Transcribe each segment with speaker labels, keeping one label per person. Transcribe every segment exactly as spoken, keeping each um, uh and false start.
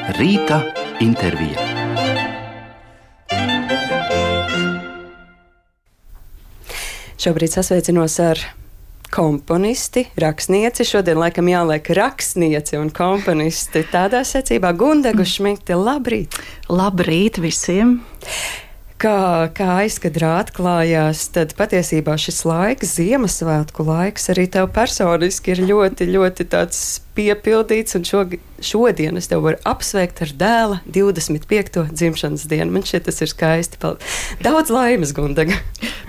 Speaker 1: Rīta intervija.
Speaker 2: Šobrīd sasveicinos ar komponisti, rakstnieci. Šodien laikam jāliek rakstnieci un komponisti tādā secībā. Gundegu Šmigti, labrīt!
Speaker 3: Labrīt visiem!
Speaker 2: Kā, kā aizkadrā atklājās, tad patiesībā šis laiks, Ziemassvētku laiks, arī tev personiski ir ļoti, ļoti tāds piepildīts, un šo, šodien es tev varu apsveikt ar dēla divdesmit piekto dzimšanas dienu. Man šķiet, tas ir skaisti. Daudz laimes, Gundega!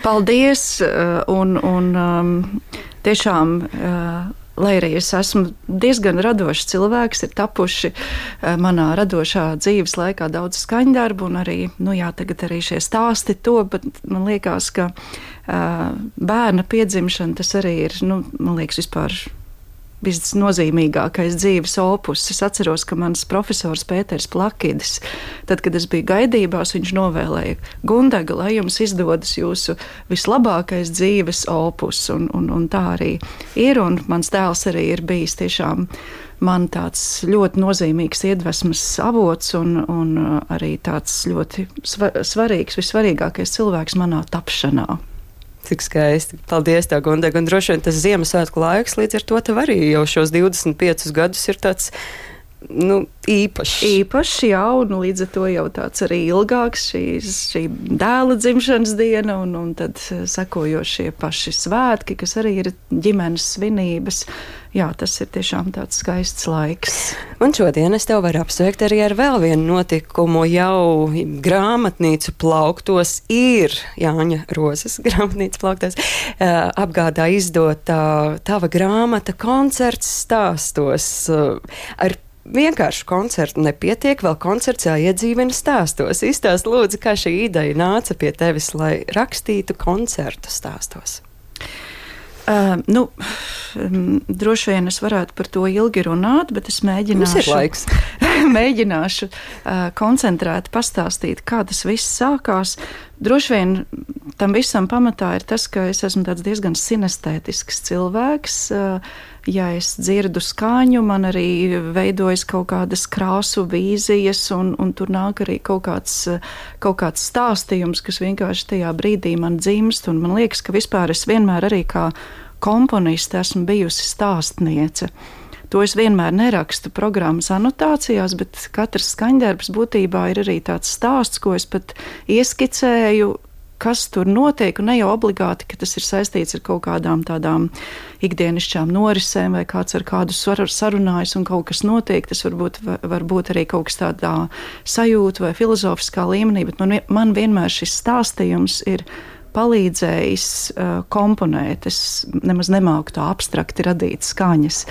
Speaker 3: Paldies! Un, un um, tiešām... Uh, Lai arī es esmu diezgan radošs cilvēks, ir tapuši manā radošā dzīves laikā daudz skaņdarbu, un arī, nu jā, tagad arī šie stāsti to, bet man liekas, ka uh, bērna piedzimšana tas arī ir, nu, man liekas, vispār visnozīmīgākais dzīves opus. Es atceros, ka mans profesors Pēters Plakidis, tad, kad es biju gaidībās, viņš novēlēja: Gundega, lai jums izdodas jūsu vislabākais dzīves opus, un, un, un tā arī ir, un mans tēls arī ir bijis tiešām man tāds ļoti nozīmīgs iedvesmas avots, un, un arī tāds ļoti svarīgs, vissvarīgākais cilvēks manā tapšanā.
Speaker 2: Cik skaisti. Paldies tev, Gundega. Un droši vien tas Ziemassvētku laiks līdz ar to tev arī jau šos divdesmit piecus gadus ir tāds, nu, īpašs.
Speaker 3: Īpašs, jā, un līdz ar to jau tāds arī ilgāks šīs, šī dēla dzimšanas diena, un, un tad sekojošie paši svētki, kas arī ir ģimenes svinības. Jā, tas ir tiešām tāds skaists laiks.
Speaker 2: Un šodien es tev varu apsveikt arī ar vēl vienu notikumu. Jau grāmatnīcu plauktos ir Jāņa Rozes grāmatnīcu plauktos uh, apgādā izdota uh, tava grāmata Koncerts stāstos. Uh, ar vienkāršu koncertu nepietiek, vēl koncerts jāiedzīvina stāstos. Izstāst lūdzu, kā šī ideja nāca pie tevis, lai rakstītu koncertu stāstos.
Speaker 3: Uh, nu, um, droši vien es varētu par to ilgi runāt, bet es mēģināšu, mēģināšu uh, koncentrēti pastāstīt, kā tas viss sākās. Droši vien tam visam pamatā ir tas, ka es esmu tāds diezgan sinestētisks cilvēks. Uh, ja es dzirdu skaņu, man arī veidojas kaut kādas krāsu vīzijas, un, un tur nāk arī kaut kāds, kaut kāds stāstījums, kas vienkārši tajā brīdī man dzimst, un man liekas, ka vispār es vienmēr arī kā komponiste esmu bijusi stāstniece. To es vienmēr nerakstu programmas anotācijās, bet katrs skaņdarbs būtībā ir arī tāds stāsts, ko es pat ieskicēju, kas tur notiek, un ne jau obligāti, ka tas ir saistīts ar kaut kādām tādām ikdienišķām norisēm, vai kāds ar kādu sarunājas un kaut kas notiek. Tas varbūt var būt arī kaut kas tādā sajūta vai filozofiskā līmenī, bet man, man vienmēr šis stāstījums ir palīdzējis uh, komponēt. Es nemaz nemāku tā abstrakti radīt skaņas.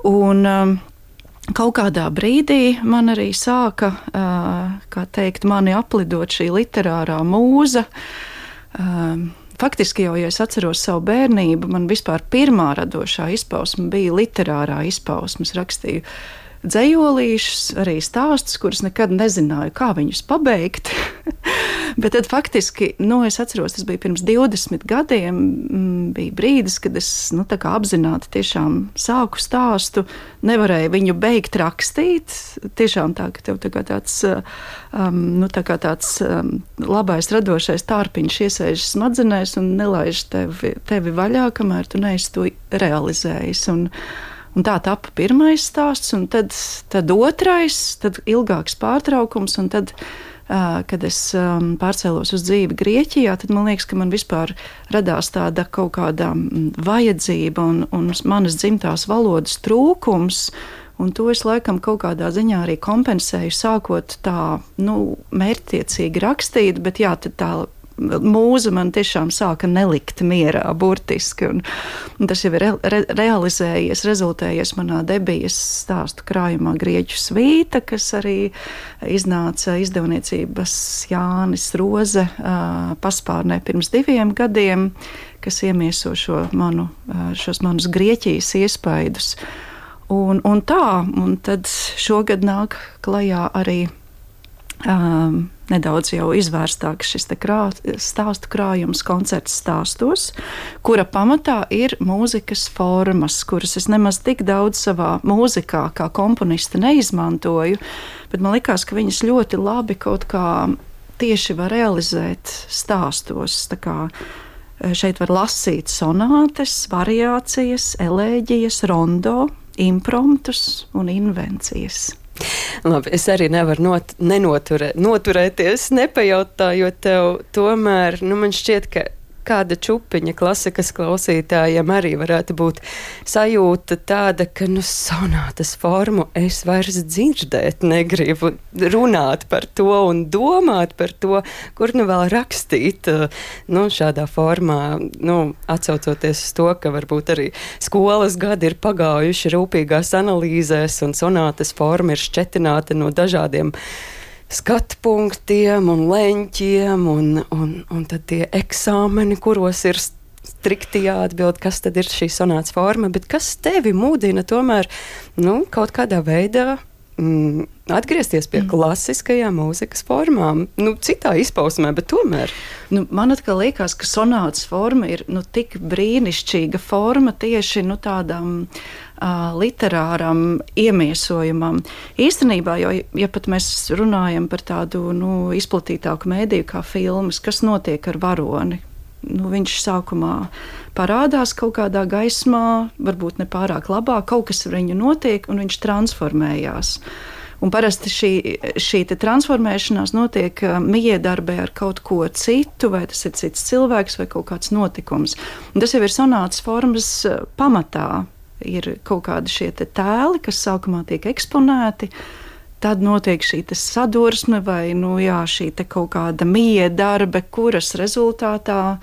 Speaker 3: Un um, kaut kādā brīdī man arī sāka, kā teikt, mani aplidot šī literārā mūza. Faktiski jau, ja es atceros savu bērnību, man vispār pirmā radošā izpausme bija literārā izpausme. Es rakstīju dzejolīšus, arī stāstus, kurus nekad nezināju, kā viņus pabeigt. Bet tad faktiski, nu, es atceros, tas bija pirms divdesmit gadiem, bija brīdis, kad es, nu, tā kā apzināti tiešām sāku stāstu, nevarēju viņu beigt rakstīt, tiešām tā, ka tev tā kā tāds, um, nu, tā kā tāds um, labais radošais tārpiņš iesēžas smadzenēs un nelaiž tevi, tevi vaļā, kamēr tu neesi to realizējis. Un, un tā tapa pirmais stāsts, un tad, tad otrais, tad ilgāks pārtraukums, un tad kad es um, pārcēlos uz dzīvi Grieķijā, tad man liekas, ka man vispār radās tāda kaut kāda vajadzība un, un manas dzimtās valodas trūkums, un to es laikam kaut kādā ziņā arī kompensēju, sākot tā, nu, mērķtiecīgi rakstīt, bet jā, tad tā mūza man tiešām sāka nelikt mierā, burtiski, un, un tas jau ir re, re, realizējies, rezultējies manā debijas stāstu krājumā Grieķu svīta, kas arī iznāca izdevniecības Jānis Roze uh, paspārnē pirms diviem gadiem, kas iemieso šo manu, uh, šos manus Grieķijas iespaidus. Un, un tā, un tad šogad nāk klajā arī um, nedaudz jau izvērstāks šis te krā, stāstu krājums koncerts stāstos, kura pamatā ir mūzikas formas, kuras es nemaz tik daudz savā mūzikā kā komponiste neizmantoju, bet man likās, ka viņas ļoti labi kaut kā tieši var realizēt stāstos. Tā kā šeit var lasīt sonātes, variācijas, elēģijas, rondo, impromptus un invencijas.
Speaker 2: Labi, es arī nevaru not, nenoturē, noturēties, nepajautājot tev, tomēr, nu, man šķiet, ka kāda čupiņa klasikas klausītājiem arī varētu būt sajūta tāda, ka, nu, sonātas formu es vairs dzirdēt negribu, runāt par to un domāt par to, kur nu vēl rakstīt, nu, šādā formā, nu, atsaucoties uz to, ka varbūt arī skolas gadi ir pagājuši rūpīgās analīzēs un sonātas forma ir šķetināta no dažādiem skatu punktiem un leņķiem, un, un, un tad tie eksāmeni, kuros ir strikti jāatbild, kas tad ir šī sonātas forma, bet kas tevi mudina tomēr, nu, kaut kādā veidā mm, atgriezties pie mm. klasiskajām mūzikas formām, nu, citā izpausmē, bet tomēr.
Speaker 3: Nu, man atkal liekas, ka sonātas forma ir, nu, tik brīnišķīga forma tieši, nu, tādām uh, literāram iemiesojumam. Īstenībā, jo, ja pat mēs runājam par tādu, nu, izplatītāku mēdīju kā filmas, kas notiek ar varoni, nu, viņš sākumā parādās kaut kādā gaismā, varbūt ne pārāk labā, kaut kas ar viņu notiek, un viņš transformējās. Un parasti šī, šī transformēšanās notiek miedarbē ar kaut ko citu, vai tas ir cits cilvēks, vai kaut kāds notikums. Un tas jau ir sonātas formas pamatā. Ir kaut kādi šie te tēli, kas sākumā tiek eksponēti, tad notiek šī sadursme vai, nu jā, šī te kaut kāda miedarbe, kuras rezultātā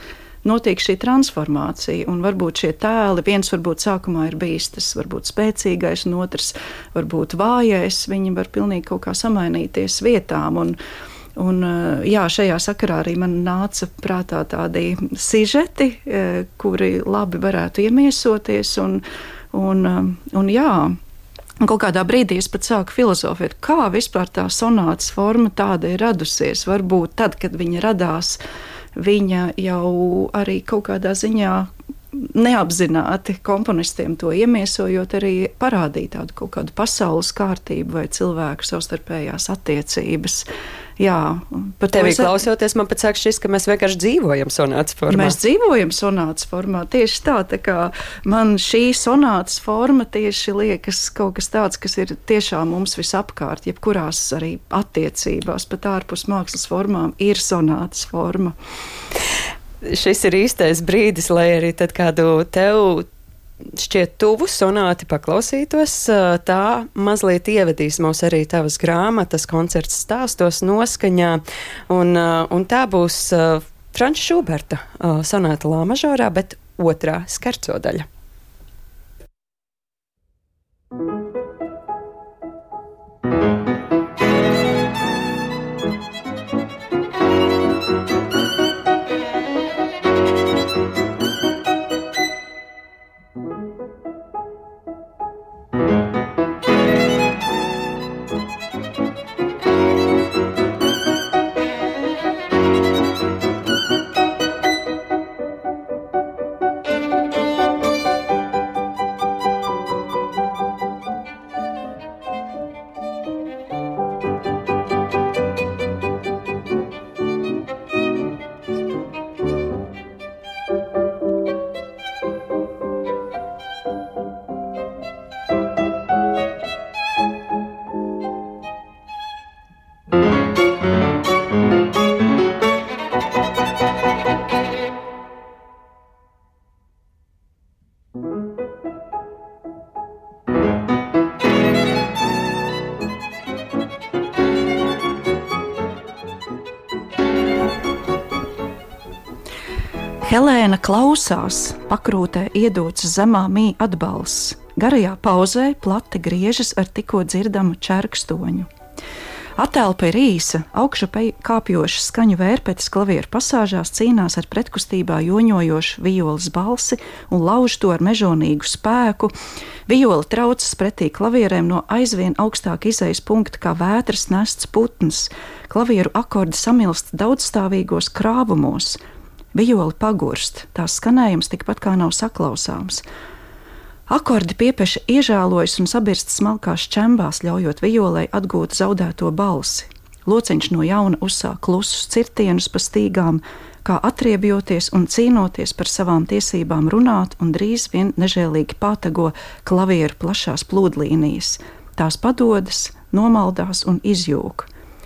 Speaker 3: notiek šī transformācija, un varbūt šie tēli, viens varbūt sākumā ir bijis tas varbūt spēcīgais, un otrs varbūt vājais, viņi var pilnīgi kaut kā samainīties vietām, un, un jā, šajā sakarā arī man nāca prātā tādi sižeti, kuri labi varētu iemiesoties, un, un, un jā, un kaut kādā brīdī es pat sāku filozofēt, kā vispār tā sonātas forma tāda ir radusies, varbūt tad, kad viņa radās, viņa jau arī kaut kādā ziņā neapzināti komponistiem to iemiesojot arī parādīja tādu kaut kādu pasaules kārtību vai cilvēku savstarpējās attiecības. Jā,
Speaker 2: par tevi klausoties, man pat sāk šis, ka mēs vienkārši dzīvojam sonātas formā.
Speaker 3: Mēs dzīvojam sonātas formā, tieši tā, tā kā man šī sonātas forma tieši liekas kaut kas tāds, kas ir tiešām mums visapkārt, jebkurās arī attiecībās, pat ārpus mākslas formām ir sonātas forma.
Speaker 2: Šis ir īstais brīdis, lai arī tad kādu tev šķiet tuvu sonāti paklausītos, tā mazliet ievedīs mūs arī tavas grāmatas koncerts stāstos noskaņā, un, un tā būs Franča Šuberta sonāta lā mažorā, bet otrā skerco daļa.
Speaker 3: Helēna klausās, pakrūtē iedots zemā mī atbalsts. Garajā pauzē plati griežas ar tikko dzirdamu čerkstoņu. Atelpa ir īsa, augšup kāpjoša skaņu vērpetes klavieru pasāžās cīnās ar pretkustībā joņojošu violas balsi un lauž to ar mežonīgu spēku. Viola traucas pretī klavierēm no aizvien augstāk izejas punkta kā vētras nests putns. Klavieru akordi samilst daudzstāvīgos krāvumos. Viola pagurst, tās skanējums tikpat kā nav saklausāms. Akordi piepeši iežālojas un sabirst smalkās čembās, ļaujot violai atgūt zaudēto balsi. Lociņš no jauna uzsāk klusus cirtienus pa stīgām, kā atriebjoties un cīnoties par savām tiesībām runāt, un drīz vien nežēlīgi pātago klavieru plašās plūdlīnijas. Tās padodas, nomaldās un izjūg.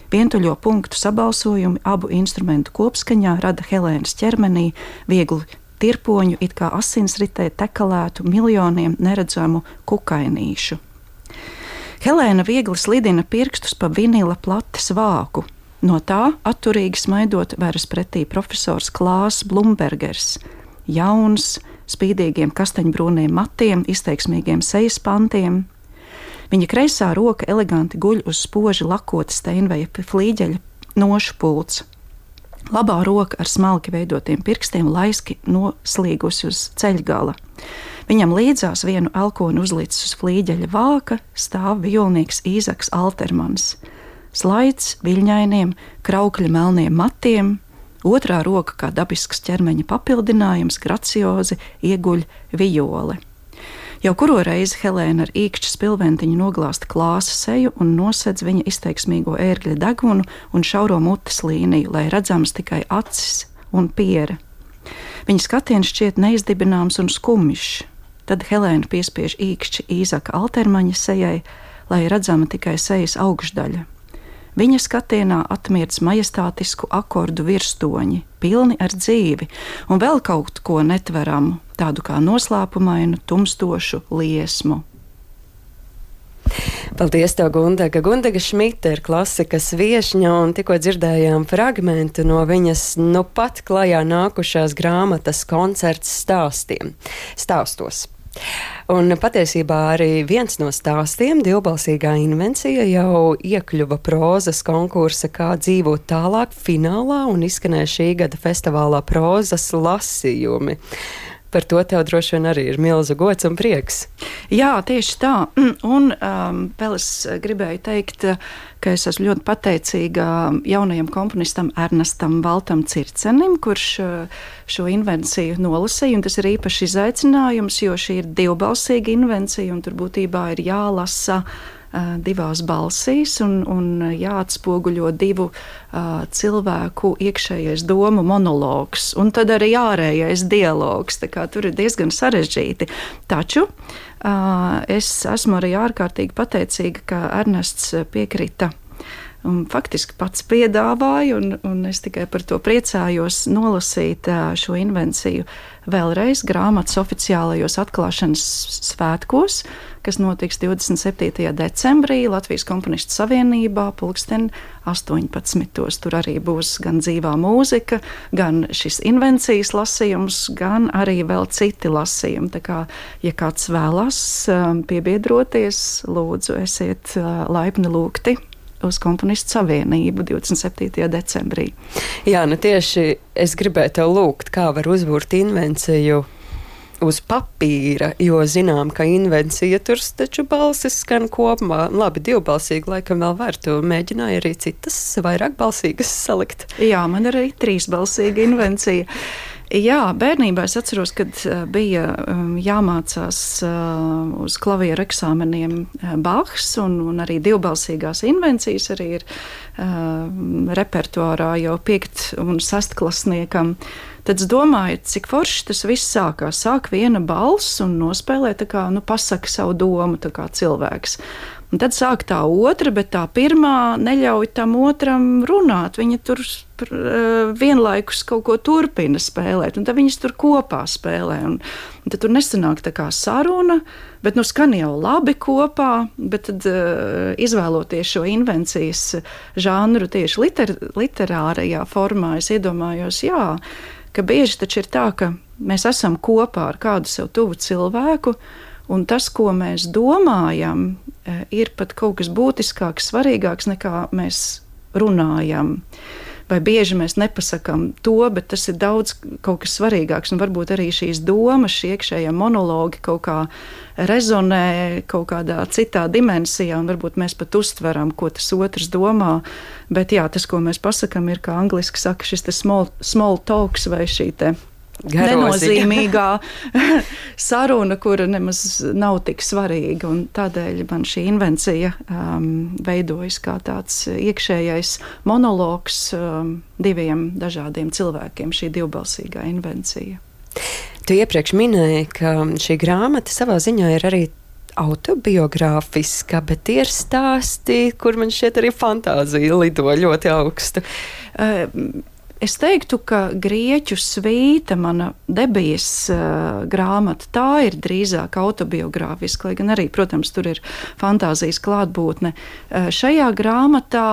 Speaker 3: Vientuļo punktu sabalsojumi abu instrumentu kopskaņā rada Helēnas ķermenī vieglu tirpoņu, it kā asinsritē tekalētu miljoniem neredzamu kukainīšu. Helēna viegli slidina pirkstus pa vinila plates vāku. No tā atturīgi smaidot veras pretī profesors Klāss Blumbergers. Jauns, spīdīgiem kastaņbrūniem matiem, izteiksmīgiem sejas pantiem. Viņa kreisā roka eleganti guļ uz spoži lakota steinveja flīģeļa nošu pults. Labā roka ar smalki veidotiem pirkstiem laiski noslīgusi uz ceļgala. Viņam līdzās vienu elkoni uzlicis uz flīģeļa vāka stāv violnieks Īzaks Altermans. Slaids viļņainiem, kraukļa melniem matiem, otrā roka kā dabisks ķermeņa papildinājums graciozi ieguļ viole. Jau kuro reizi Helēna ar īkšķa spilventiņu noglāsta Klāsa seju un nosedz viņa izteiksmīgo ērgļa degunu un šauro mutes līniju, lai redzams tikai acis un piere. Viņa skatiens šķiet neizdibināms un skumjš. Tad Helēna piespiež īkšķi Īzaka Altermaņa sejai, lai redzama tikai sejas augšdaļa. Viņa skatienā atmirdz majestātisku akordu virstoņi, pilni ar dzīvi, un vēl kaut ko netveramu, tādu kā noslēpumainu, tumstošu liesmu.
Speaker 2: Paldies, tev, Gundaga. Gundaga Šmita ir klasikas viešņa, un tikko dzirdējām fragmentu no viņas nu pat klajā nākušās grāmatas koncerts stāstiem, stāstos. Un patiesībā arī viens no stāstiem, divbalsīgā invencija, jau iekļuva prozas konkursa Kā dzīvot tālāk finālā un izskanēja šī gada festivālā prozas lasījumi. Par to tev droši vien arī ir milzu gods un prieks.
Speaker 3: Jā, tieši tā. Un um, vēl es gribēju teikt, ka es esmu ļoti pateicīga jaunajam komponistam Ernestam Valtam Circenim, kurš šo invenciju nolasīja, un tas ir īpaši izaicinājums, jo šī ir divbalsīga invencija, un tur būtībā ir jālasa divās balsīs un, un jāatspoguļo divu uh, cilvēku iekšējais domu monologs, un tad arī ārējais dialogs, tā kā tur ir diezgan sarežģīti. Taču uh, es esmu arī ārkārtīgi pateicīga, ka Ernests piekrita un faktiski pats piedāvāja, un, un es tikai par to priecājos nolasīt šo invenciju vēlreiz grāmatas oficiālajos atklāšanas svētkos, kas notiks divdesmit septītajā decembrī Latvijas komponistu savienībā pulksten astoņpadsmitos. Tur arī būs gan dzīvā mūzika, gan šis invencijas lasījums, gan arī vēl citi lasījumi. Tā kā, ja kāds vēlas piebiedroties, lūdzu, esiet laipni lūgti uz komponistu savienību divdesmit septītajā decembrī.
Speaker 2: Jā, nu tieši es gribēju tev lūgt, kā var uzbūrt invenciju uz papīra, jo zinām, ka invencija tur taču balsis skan kopumā. Labi, divbalsīgi laikam vēl var. Tu mēģināji arī citas vairāk balsīgas salikt.
Speaker 3: Jā, man ir arī trīsbalsīga invencija. Jā, bērnībā es atceros, kad bija jāmācās uz klavieru eksāmeniem Bachs, un, un arī divbalsīgās invencijas arī ir repertuārā jau piekt un sastklasniekam. Tad es domāju, cik forši tas viss sākās. Sāk viena balss un nospēlē tā kā, nu, pasaka savu domu, tā kā cilvēks. Un tad sāk tā otra, bet tā pirmā neļauj tam otram runāt. Viņa tur uh, vienlaikus kaut ko turpina spēlēt, un tad viņas tur kopā spēlē. Un, un tad tur nesanāk tā kā saruna, bet nu skan jau labi kopā, bet tad uh, izvēloties šo invencijas žanru tieši liter, literārajā formā, es iedomājos, jā, ka bieži taču ir tā, ka mēs esam kopā ar kādu sev tuvu cilvēku, Un tas, ko mēs domājam, ir pat kaut kas būtiskāks, svarīgāks nekā mēs runājam. Vai bieži mēs nepasakām to, bet tas ir daudz kaut kas svarīgāks. Un varbūt arī šīs domas, šie iekšējie monologi kaut kā rezonē kaut kādā citā dimensijā, un varbūt mēs pat uztveram, ko tas otrs domā. Bet jā, tas, ko mēs pasakām, ir, kā angliski saka, šis te small, small talks vai šī te nenozīmīgā saruna, kura nemaz nav tik svarīga. Un tādēļ man šī invencija um, veidojas kā tāds iekšējais monologs um, diviem dažādiem cilvēkiem, šī divbalsīgā invencija.
Speaker 2: Tu iepriekš minēji, ka šī grāmata savā ziņā ir arī autobiogrāfiska, bet tie ir stāsti, kur man šķiet arī fantāzija lido ļoti augstu.
Speaker 3: Uh, Es teiktu, ka Grieķu svīta, mana debijas uh, grāmata, tā ir drīzāk autobiogrāfiska, lai gan arī, protams, tur ir fantāzijas klātbūtne. Uh, šajā grāmatā,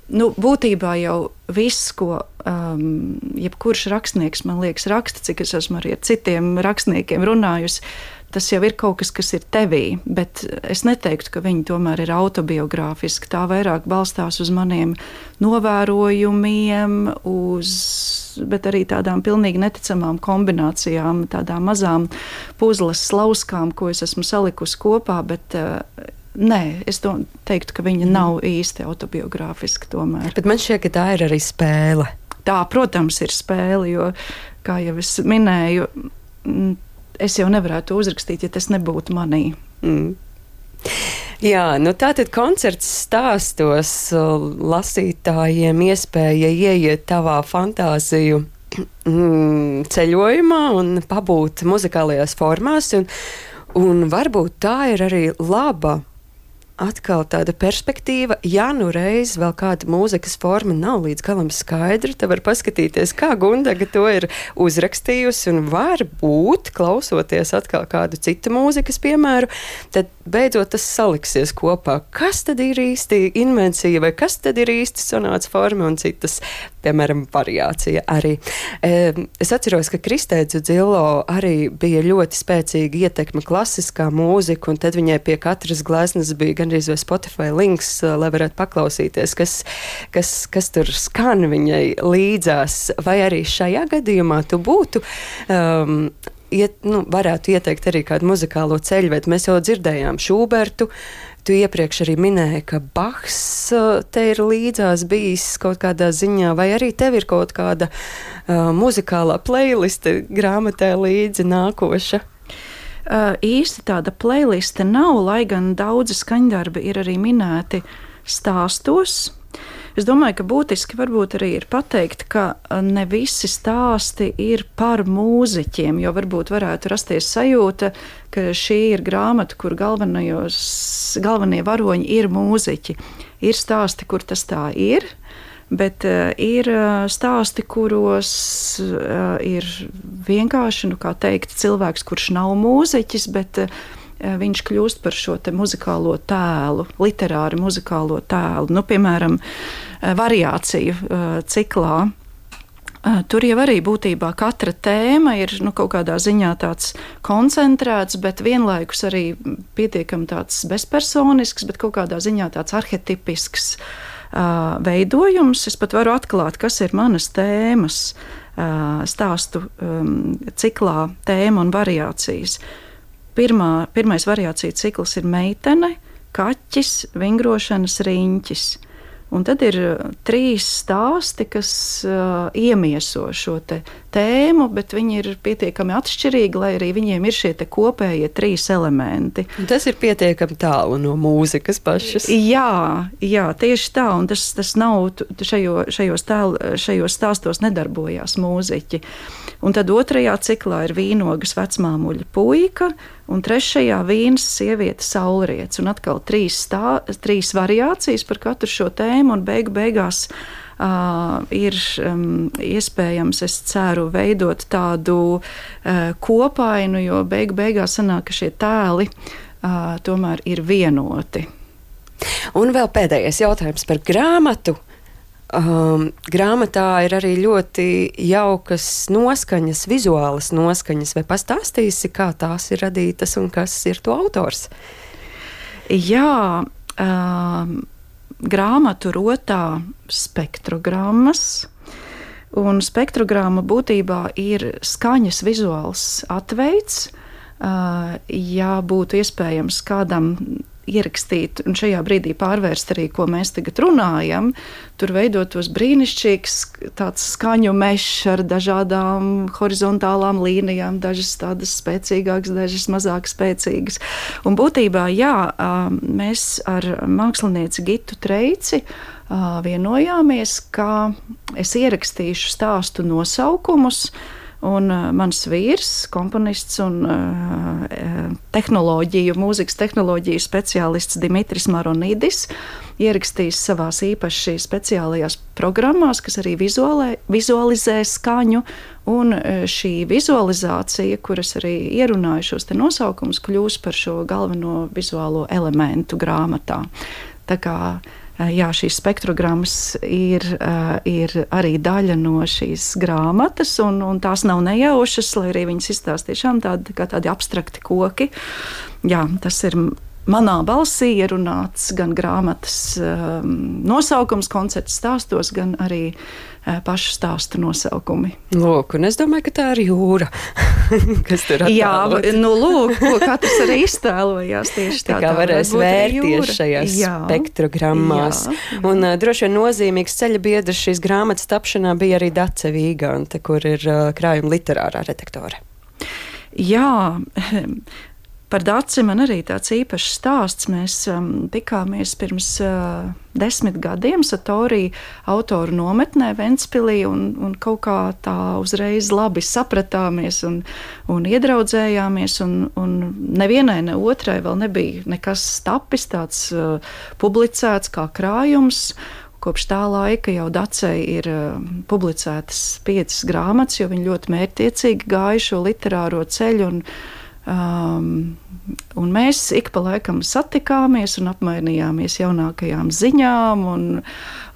Speaker 3: nu, būtībā jau viss, ko um, jebkurš rakstnieks, man liekas, raksta, cik es esmu arī ar citiem rakstniekiem runājusi, tas jau ir kaut kas, kas ir tevī, bet es neteiktu, ka viņi tomēr ir autobiogrāfiski. Tā vairāk balstās uz maniem novērojumiem, uz, bet arī tādām pilnīgi neticamām kombinācijām, tādām mazām puzles slauskām, ko es esmu salikusi kopā, bet nē, es teiktu, ka viņa nav īsti autobiogrāfiska tomēr.
Speaker 2: Bet man šķiet, ka tā ir arī spēle.
Speaker 3: Tā, protams, ir spēle, jo, kā jau es minēju, es jau nevarētu uzrakstīt, ja tas nebūtu manī.
Speaker 2: Mm. Jā, nu tātad koncerts stāstos lasītājiem iespēja ieiet tavā fantāziju mm, ceļojumā un pabūt muzikālajās formās, un, un varbūt tā ir arī laba atkal tāda perspektīva, ja nu reiz vēl kāda mūzikas forma nav līdz galam skaidra, tad var paskatīties, kā Gundaga to ir uzrakstījusi, un varbūt, klausoties atkal kādu citu mūzikas piemēru, tad beidzot tas saliksies kopā. Kas tad ir īsti invencija, vai kas tad ir īsti sonāts forma un citas, piemēram, variācija arī. Es atceros, ka Kristē Dzudzilo arī bija ļoti spēcīga ietekme klasiskā mūzika, un tad viņai pie katras gleznas bija gandrīz vai Spotify links, lai varētu paklausīties, kas, kas, kas tur skan viņai līdzās. Vai arī šajā gadījumā tu būtu, um, iet, nu, varētu ieteikt arī kādu muzikālo ceļvedu? Mēs jau dzirdējām Šubertu, tu iepriekš arī minēji, ka Bachs te ir līdzās bijis kaut kādā ziņā, vai arī tev ir kaut kāda uh, muzikālā playliste grāmatē līdzi nākoša?
Speaker 3: Uh, īsti tāda playliste nav, lai gan daudzi skaņdarbi ir arī minēti stāstos. Es domāju, ka būtiski varbūt arī ir pateikt, ka ne visi stāsti ir par mūziķiem, jo varbūt varētu rasties sajūta, ka šī ir grāmata, kur galvenie varoņi ir mūziķi. Ir stāsti, kur tas tā ir, bet uh, ir stāsti, kuros uh, ir vienkārši, nu kā teikt, cilvēks, kurš nav mūziķis, bet uh, viņš kļūst par šo te muzikālo tēlu, literāri muzikālo tēlu. Nu, piemēram, variāciju ciklā. Tur jau arī būtībā katra tēma ir nu, kaut kādā ziņā tāds koncentrēts, bet vienlaikus arī pietiekami tāds bezpersonisks, bet kaut kādā ziņā tāds arhetipisks uh, veidojums. Es pat varu atklāt, kas ir manas tēmas, uh, stāstu um, ciklā tēma un variācijas. Pirmā, pirmais variācija cikls ir meitene, kaķis, vingrošanas riņķis. Un tad ir trīs stāsti, kas uh, iemieso šo te tēmu, bet viņi ir pietiekami atšķirīgi, lai arī viņiem ir šie te kopējie trīs elementi.
Speaker 2: Tas ir pietiekami tālu no mūzikas pašas.
Speaker 3: Jā, jā, tieši tā, un tas, tas nav, šajo, šajos, tēl, šajos stāstos nedarbojās mūziķi. Un tad otrajā ciklā ir vīnogas vecmāmuļa puika, un trešajā vīnas sieviete saulriets, un atkal trīs, stā, trīs variācijas par katru šo tēmu, un beigu beigās uh, ir um, iespējams, es ceru, veidot tādu uh, kopainu, jo beigu beigās sanāk, ka šie tēli uh, tomēr ir vienoti.
Speaker 2: Un vēl pēdējais jautājums par grāmatu. Um, grāmatā ir arī ļoti jaukas noskaņas, vizuālas noskaņas. Vai pastāstīsi, kā tās ir radītas un kas ir to autors?
Speaker 3: Jā, um, grāmatu rotā spektrogrammas. Un spektrogramma būtībā ir skaņas vizuāls atveids. Uh, ja būtu iespējams kādam ierakstīt un šajā brīdī pārvērst arī, ko mēs tagad runājam, tur veidotos brīnišķīgs tāds skaņu mešs ar dažādām horizontālām līnijām, dažas tādas spēcīgākas, dažas mazāk spēcīgas. Un būtībā, jā, mēs ar mākslinieci Gitu Treici vienojāmies, ka es ierakstīšu stāstu nosaukumus. Un uh, mans vīrs, komponists un uh, tehnoloģiju, mūzikas tehnoloģiju speciālists Dimitris Maronidis ierakstīs savās īpaši speciālajās programmās, kas arī vizuālē, vizualizē skaņu. Un uh, šī vizualizācija, kuras arī ierunāju šos te nosaukumus, kļūs par šo galveno vizuālo elementu grāmatā. Tā kā jā, šīs spektrogrammas ir, ir arī daļa no šīs grāmatas, un, un tās nav nejaušas, lai arī viņas izstāsta tiešām tādi, kā tādi abstrakti koki. Jā, tas ir manā balsī ierunāts gan grāmatas um, nosaukums, koncerta stāstos, gan arī uh, pašu stāstu nosaukumi.
Speaker 2: Lūk, un es domāju, ka tā ir jūra, kas tur attēlots.
Speaker 3: Jā, nu lūk, ko katrs arī iztēlojās tieši tā.
Speaker 2: Tā kā varēs vērties šajās jā, spektrogrammās. Jā, jā. Un uh, droši vien nozīmīgs ceļa biedrs šīs grāmatas tapšanā bija arī Dace Vīgante, kur ir uh, krājuma literārā redaktore.
Speaker 3: Jā, par Daci man arī tāds īpašs stāsts. Mēs um, tikāmies pirms uh, desmit gadiem Satorī autoru nometnē Ventspilī un, un kaut kā tā uzreiz labi sapratāmies un, un iedraudzējāmies. Un, un nevienai, ne otrai vēl nebija nekas tapis tāds uh, publicēts kā krājums. Kopš tā laika jau Dacei ir uh, publicētas piecas grāmatas, jo viņi ļoti mērķtiecīgi gāja šo literāro ceļu. Un, Um, un mēs ik pa laikam satikāmies un apmainījāmies jaunākajām ziņām un,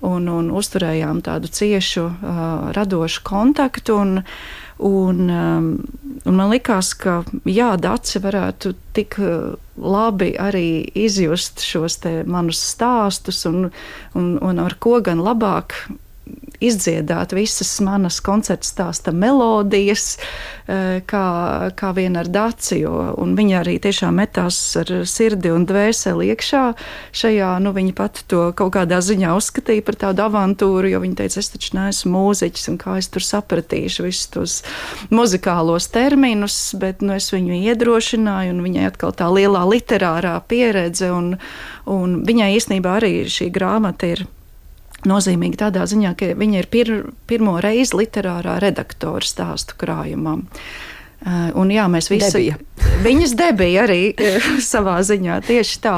Speaker 3: un, un uzturējām tādu ciešu uh, radošu kontaktu. Un, un, um, un man likās, ka jā, Dace varētu tik labi arī izjust šos te manus stāstus un, un, un ar ko gan labāk izdziedāt visas manas koncerta stāsta melodijas, kā, kā vien ar Daci, jo viņa arī tiešām metās ar sirdi un dvēseli iekšā šajā, nu viņa pat to kaut kādā ziņā uzskatīja par tādu avantūru, jo viņa teica, es taču neesmu mūziķis un kā es tur sapratīšu visus tos muzikālos terminus, bet nu, es viņu iedrošināju un viņai atkal tā lielā literārā pieredze un, un viņai īstenībā arī šī grāmata ir nozīmīgi tādā ziņā, ka viņa ir pir, pirmo reizi literārā redaktora stāstu krājumam. Uh, un jā, mēs visi...
Speaker 2: Debija.
Speaker 3: Viņas debija arī savā ziņā, tieši tā.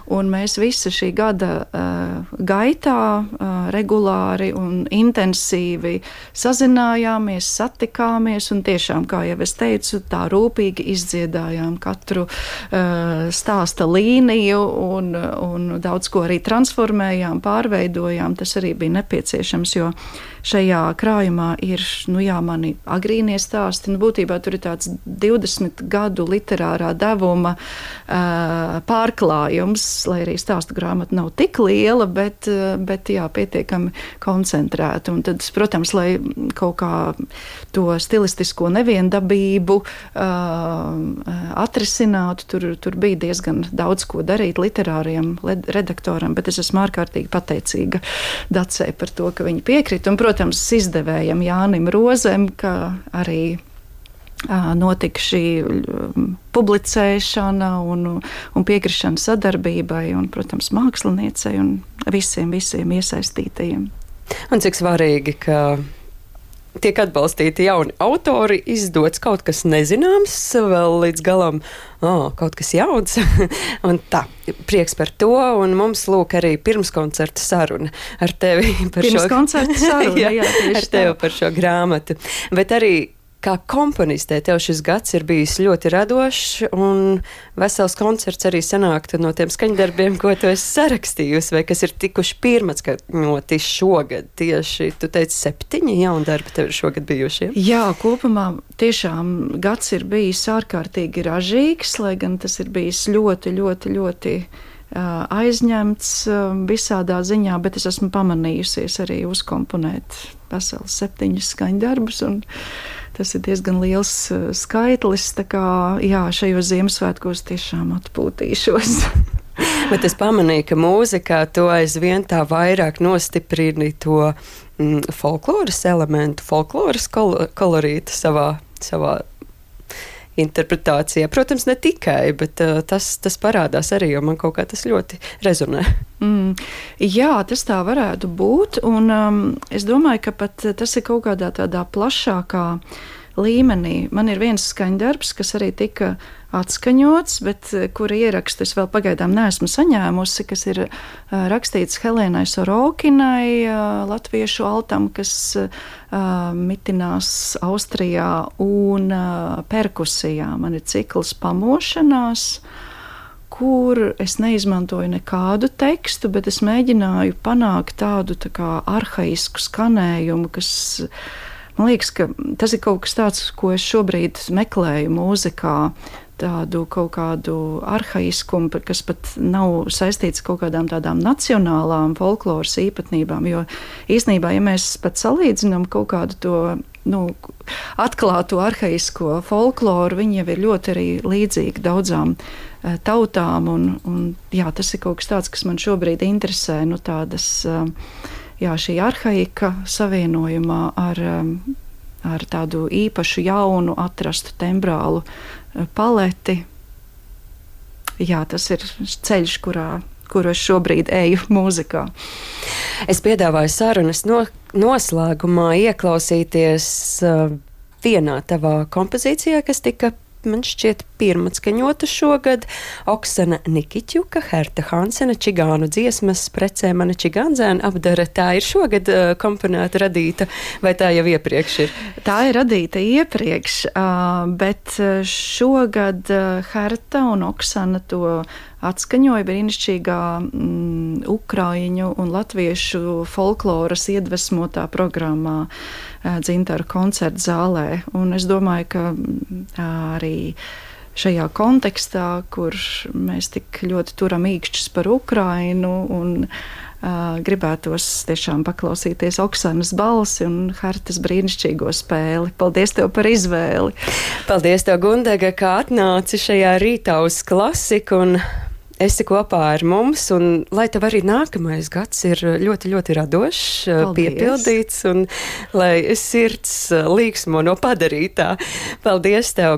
Speaker 3: Un mēs visi šī gada uh, gaitā uh, regulāri un intensīvi sazinājāmies, satikāmies un tiešām, kā jau es teicu, tā rūpīgi izdziedājām katru uh, stāsta līniju un, un daudz ko arī transformējām, pārveidojām. Tas arī bija nepieciešams, jo šajā krājumā ir, nu jā, mani agrīnie stāsti, nu būtībā tur ir tāds divdesmit gadu literārā devuma uh, pārklājums, lai arī stāstu grāmata nav tik liela, bet, bet jā, pietiekami koncentrēta. Un tad, protams, lai kaut kā to stilistisko neviendabību uh, atrisinātu, tur, tur bija diezgan daudz ko darīt literāriem redaktoram, bet es esmu ārkārtīgi pateicīga Dacei par to, ka viņi piekrita. Un, protams, izdevējam Jānim Rozem, ka arī notika šī publicēšana un, un piekrišana sadarbībai un, protams, māksliniecei un visiem, visiem iesaistītajiem.
Speaker 2: Un cik svarīgi, ka tiek atbalstīti jauni autori, izdots kaut kas nezināms, vēl līdz galam oh, kaut kas jauns. Un tā, prieks par to, un mums lūk arī pirmskoncerta saruna ar tevi par
Speaker 3: Pirms
Speaker 2: šo
Speaker 3: koncerta saruna, jā, jā,
Speaker 2: ar tevi par šo grāmatu. Bet arī kā komponistē tev šis gads ir bijis ļoti radošs, un vesels koncerts arī sanāktu no tiem skaņdarbiem, ko tu esi sarakstījusi, vai kas ir tikuši pirmatskaņoti šogad. Tieši, tu teici, septiņi jauni darbi tev ir šogad bijuši.
Speaker 3: Jā, kopumā tiešām gads ir bijis ārkārtīgi ražīgs, lai gan tas ir bijis ļoti, ļoti, ļoti uh, aizņemts uh, visādā ziņā, bet es esmu pamanījusies arī uzkomponēt vesels septiņus skaņdarbus, un tas ir diezgan liels uh, skaitlis, tā kā, jā, šajos Ziemassvētkos tiešām atpūtīšos.
Speaker 2: Bet es pamanīju, ka mūzikā to aizvien tā vairāk nostiprini to mm, folkloras elementu, folkloras kol kolorītu savā, savā interpretācijā. Protams, ne tikai, bet uh, tas, tas parādās arī, jo man kaut kā tas ļoti rezonē.
Speaker 3: Mm, jā, tas tā varētu būt, un um, es domāju, ka pat tas ir kaut kādā tādā plašākā līmenī. Man ir viens skaņdarbs, kas arī tika atskaņots, bet kura ierakstu es vēl pagaidām neesmu saņēmusi, kas ir uh, rakstīts Helēnai Sorokinai, uh, latviešu altam, kas uh, mitinās Austrijā, un uh, perkusijā. Man ir cikls Pamošanās, kur es neizmantoju nekādu tekstu, bet es mēģināju panākt tādu tā kā arhaisku skanējumu, kas, man liekas, ka tas ir kaut kas tāds, ko es šobrīd meklēju mūzikā, tādu kaut kādu arhaiskumu, kas pat nav saistīts kaut kādām tādām nacionālām folkloras īpatnībām, jo īstenībā, ja mēs pat salīdzinām kaut kādu to, nu, atklāto arhaisko folkloru, viņi jau ir ļoti arī līdzīgi daudzām uh, tautām, un, un jā, tas ir kaut kas tāds, kas man šobrīd interesē, nu, tādas, uh, jā, šī arhaika savienojumā ar, um, ar tādu īpašu jaunu atrastu tembrālu paleti. Jā, tas ir ceļš, kurā, kuru es šobrīd eju mūzikā.
Speaker 2: Es piedāvāju sarunas no, noslēgumā ieklausīties uh, vienā tavā kompozīcijā, kas tika, man šķiet, pirmatskaņota šogad. Oksana Nikiķuka, Herta Hansena, čigānu dziesmas Precē mani čigānzēna apdara. Tā ir šogad uh, komponēta, radīta, vai tā jau iepriekš ir?
Speaker 3: Tā ir radīta iepriekš, uh, bet šogad uh, Herta un Oksana to atskaņoja brīnišķīgā mm, ukraiņu un latviešu folkloras iedvesmotā programmā uh, Dzintaru koncertu zālē. Un es domāju, ka uh, arī šajā kontekstā, kur mēs tik ļoti turam īkšķus par Ukrainu un uh, gribētos tiešām paklausīties Oksanas balsi un Hertas brīnišķīgo spēli. Paldies tev par izvēli!
Speaker 2: Paldies tev, Gundega, kā atnāci šajā rītā uz klasiku un esi kopā ar mums, un lai tev arī nākamais gads ir ļoti, ļoti radošs,
Speaker 3: Paldies.
Speaker 2: Piepildīts, un lai sirds līksmo no padarītā. Paldies tev!